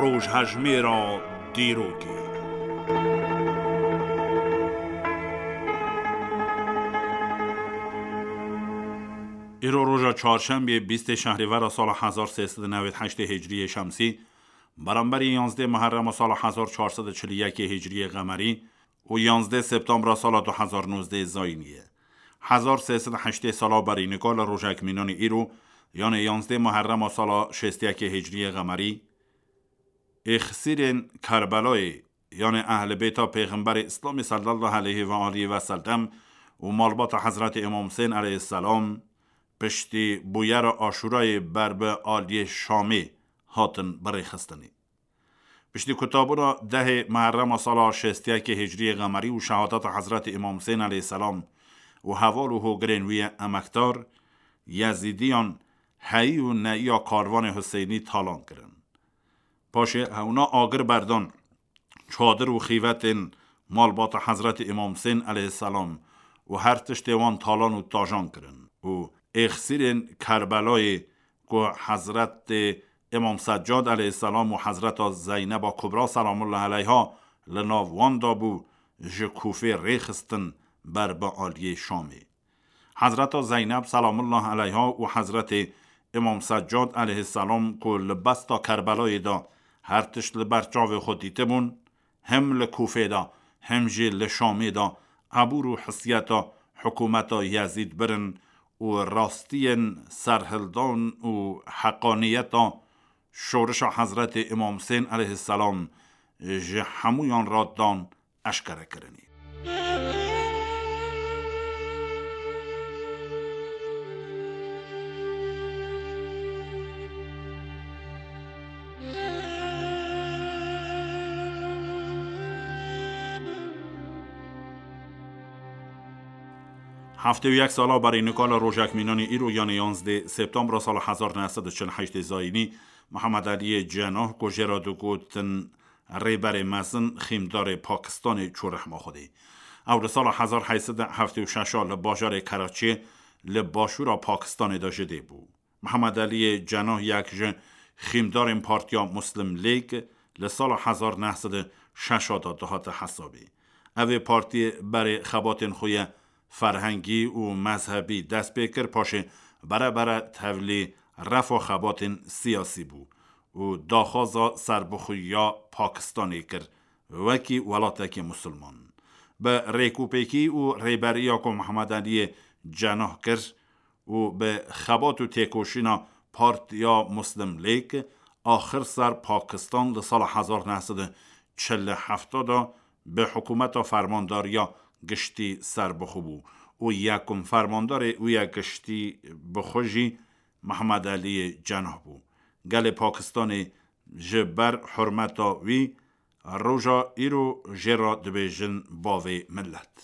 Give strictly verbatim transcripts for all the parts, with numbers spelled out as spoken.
Rojhejmêra dîrokê. Îro roja çarşembê, bîstê şehrîvera sala hezar sê sed û newêd heştê hicriyê şemsî, beramberî yanzdê Muherrema sala hezar çar sed û çil û yekê hicriyê qemerî û yanzdê septembra sala du hezar nozdeh zayînî ye. Hezar sê sed û heştê sala berî nika li rojek mînanî îro, yanê yanzdê Muherrema sala şêst û yekê hicriyê qemerî, êxsîrên Kerbelayê, yanê ehlê bêta Pêxemberê Îslamê sallallahu aleyhi ve aleyhi ve sellem û malbata Hezretê Îmam Husên aleyhisselam, piştî bûyera Aşûrayê ber bi aliyê Şamê hatin birêxistinê. Piştî kutabûna dehê Muherrema sala şêst û yekê hicriyê qemerî û şehadeta Hezretê Îmam Husên aleyhisselam û heval û hogirên wî yê emekdar, Yezîdiyan heyî û neyiya karvanê Huseynî talan kirin. Paşê hewna agir berdan çadir û xîvetên malbata Hezretê Îmam Husên aleyhisselam û her tiştê wan talan û tajan kirin û êxsîrên Kerbelayê ku Hezretê Îmam Seccad aleyhisselam û Hezreta Zeyneba Kubra selamullah aleyha li nav wan de bû, ji Kûfê rêxistin ber bi aliyê Şamê. Hezreta Zeyneb selamullah aleyha û Hezretê Îmam Seccad aleyhisselam ku li besta Kerbelayê de her tişt li ber çavê xwe dîtibûn, hem li Kûfê de hem jî li Şamê de ebûr û hisiyeta hikûmeta Yezîd birin û rastiyên serhildan û heqaniyeta şorişa Hezretê Îmam Husên aleyhisselam ji hemûyan re dan eşkere kirinî. Heftê û yek sala berî nika li rojek mînanî îro, yanê yanzdê septembra sala hezar neh sed û çil û heştê zayînî, Mihemed Eliyê Cenah ku jê re digotin Rêberê Mezin, xîmdarê Pakistanê çû rehma Xwedê. Ew li sala hezar heyt sed û heftê û şeş a li bajarê Keraçiyê li başûra Pakistanê de ji dê bû. Mihemed Eliyê Cenah yek ji xîmdarên Partiya Muslim League li sala hezar neh sed û şeş a de dihate hesabê. Ev ê partiyê berê xebatên xwe yê ferhengî û mezhebî dest pê kir, paşê bere bere tevlî refa xebatên siyasî bû û daxwaza serbixweyiya Pakistanê kir wekî welatekî musulman. Bi rêkûpêkî û rêberiya ku Mihemed Eliyê Cenah kir û bi xebat û têkoşîna Partiya Muslim League, axir ser Pakistan li sala hezar neh sed û çil û heft de bi hikûmeta fermandariya giştî serbixwe bû û yekum fermandarê wî ya giştî bi xwe jî Mihemed Eliyê Cenah bû. Gelê Pakistanê ji ber hurmeta wî roja îro jê re dibêjin bavê milet.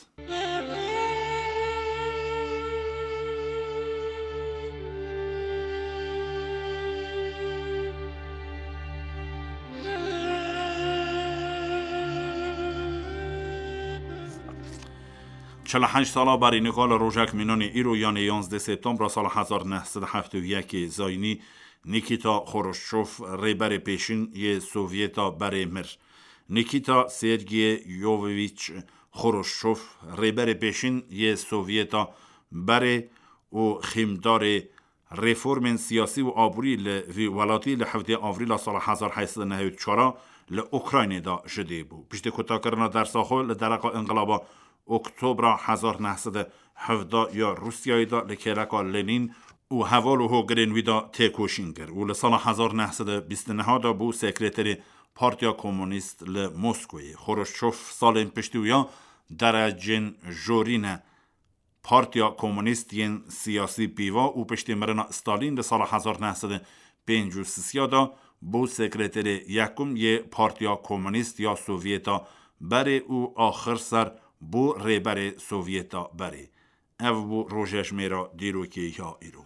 Çil û heşt sala berî nika li rojek mînanî îro, yanê yanzdeh septembra sala hezar neh sed û heftê û yekê zayînî, Nikita Xoroşçov, rêberê pêşîn yê Sovyeta berê mir. Nikita Sergeyevîç Xoroşçov, rêberê pêşîn yê Sovyeta berê û xîmdarê reformên siyasî û aborî li vî welatî, li hevdê Avrîla sala hezar heyt sed û nehêd û çar a li Ukraynê de ji dê bû. Piştî kutakirina dersa xwe li dereqa Înqilaba Oktobra hezar neh sed û hevdeh ya Rûsyayê de li kêleka Lenîn û heval û hogirên wî de têkoşîn kir û li sala hezar neh sed û bîst û neh de bû sekreterê Partiya Komunîst li Moskowê. Xoroşçov salên piştî wî ya derecên jorîne Partiya Komunîst yên siyasî pîva û piştî mirina Stalîn di sala hezar neh sed û pêncî û sê de bû sekreterê yekum yê Partiya Komunîst ya Sovyeta berê û axir ser bû rêberê Sovyeta berê. Ev bû rojejmêra dîrokê ya îro.